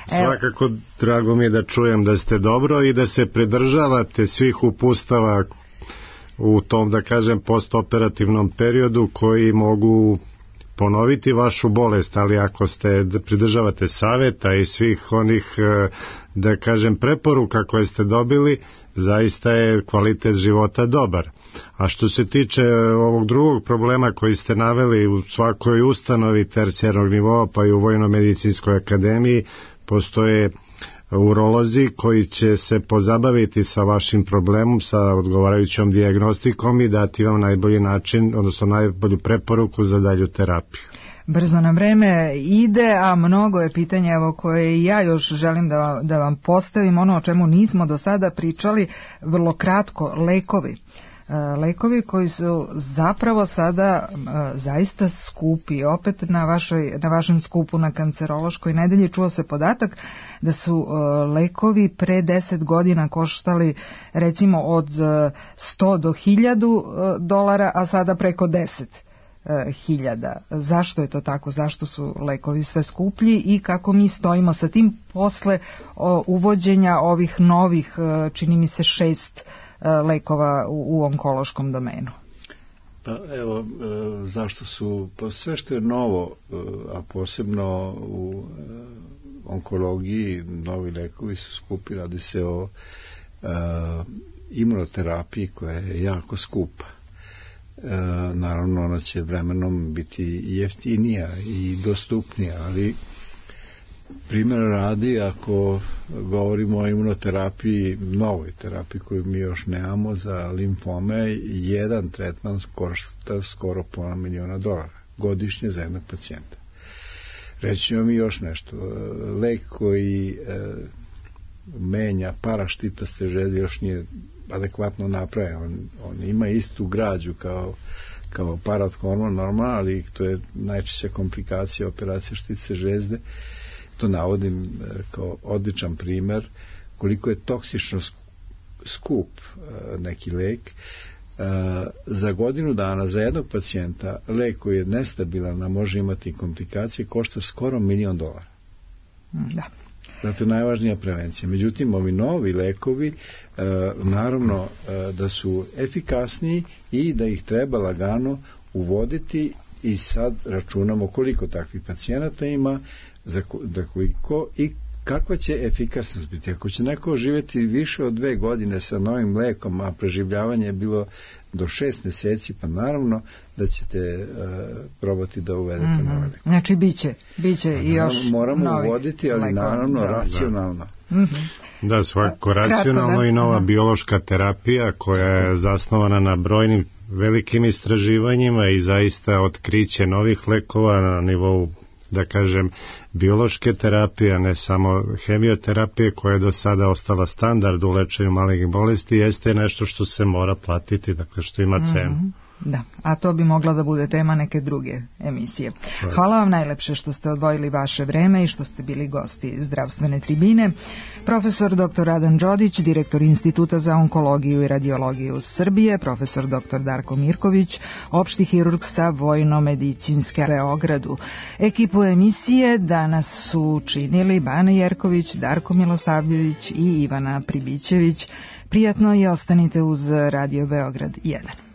Speaker 5: Svakako, drago mi je da čujem da ste dobro i da se pridržavate svih upustava u tom, da kažem, postoperativnom periodu koji mogu ponoviti vašu bolest, ali ako ste pridržavate saveta i svih onih, da kažem, preporuka koje ste dobili, zaista je kvalitet života dobar. A što se tiče ovog drugog problema koji ste naveli, u svakoj ustanovi tercijarnog nivoa pa i u Vojno-medicinskoj akademiji postoje urolozi koji će se pozabaviti sa vašim problemom, sa odgovarajućom dijagnostikom i dati vam najbolji način, odnosno najbolju preporuku za dalju terapiju.
Speaker 3: Brzo nam vreme ide, a mnogo je pitanja evo koje ja još želim da vam postavim, ono o čemu nismo do sada pričali, vrlo kratko, lekovi. Lekovi koji su zapravo sada zaista skupi. Opet na vašem skupu na kancerološkoj nedelji čuo se podatak da su lekovi pre 10 godina koštali recimo od 100 do $1000, a sada preko 10.000. Zašto je to tako? Zašto su lekovi sve skuplji i kako mi stojimo sa tim posle uvođenja ovih novih, čini mi se 6 lekova u onkološkom domenu?
Speaker 4: Pa evo, zašto su, pa sve što je novo, a posebno u onkologiji, novi lekovi su skupi, radi se o imunoterapiji koja je jako skupa. Naravno, ona će vremenom biti jeftinija i dostupnija, ali primjer radi, ako govorimo o imunoterapiji, novoj terapiji koju mi još nemamo za limfome, jedan tretman košta skoro $500 miliona godišnje za jednog pacijenta. Reći vam i još nešto, lek koji menja paraštitaste želje još nije adekvatno napravljen. On ima istu građu kao parathormon normalno, ali to je najčešća komplikacija operacije štice žezde. To navodim kao odličan primer koliko je toksično skup neki lek. Za godinu dana za jednog pacijenta lek koji je nestabilan, a može imati komplikacije, košta skoro $1 milion.
Speaker 3: Da.
Speaker 4: Zato je najvažnija prevencija. Međutim, ovi novi lekovi naravno da su efikasniji i da ih treba lagano uvoditi, i sad računamo koliko takvih pacijenata ima, za koliko i kakva će efikasnost biti? Ako će neko živjeti više od 2 godine sa novim lekom, a preživljavanje je bilo do 6 meseci, pa naravno da ćete probati da uvedete nove lekove.
Speaker 3: Znači, biće i još
Speaker 4: moramo uvoditi, ali naravno racionalno.
Speaker 5: Da, svakako racionalno i nova biološka terapija koja je zasnovana na brojnim velikim istraživanjima i zaista otkriće novih lekova na nivou, da kažem, biološke terapije, ne samo hemioterapije koja je do sada ostala standard u lečenju malignih bolesti, jeste nešto što se mora platiti, dakle što ima cenu.
Speaker 3: Da, a to bi mogla da bude tema neke druge emisije. Hvala vam najlepše što ste odvojili vaše vreme i što ste bili gosti Zdravstvene tribine. Profesor dr. Radan Đodić, direktor Instituta za onkologiju i radiologiju Srbije, profesor dr. Darko Mirković, opšti hirurg sa Vojno-medicinske Beogradu. Ekipu emisije danas su činili Bana Jerković, Darko Milosavljević i Ivana Pribićević. Prijatno i ostanite uz Radio Beograd 1.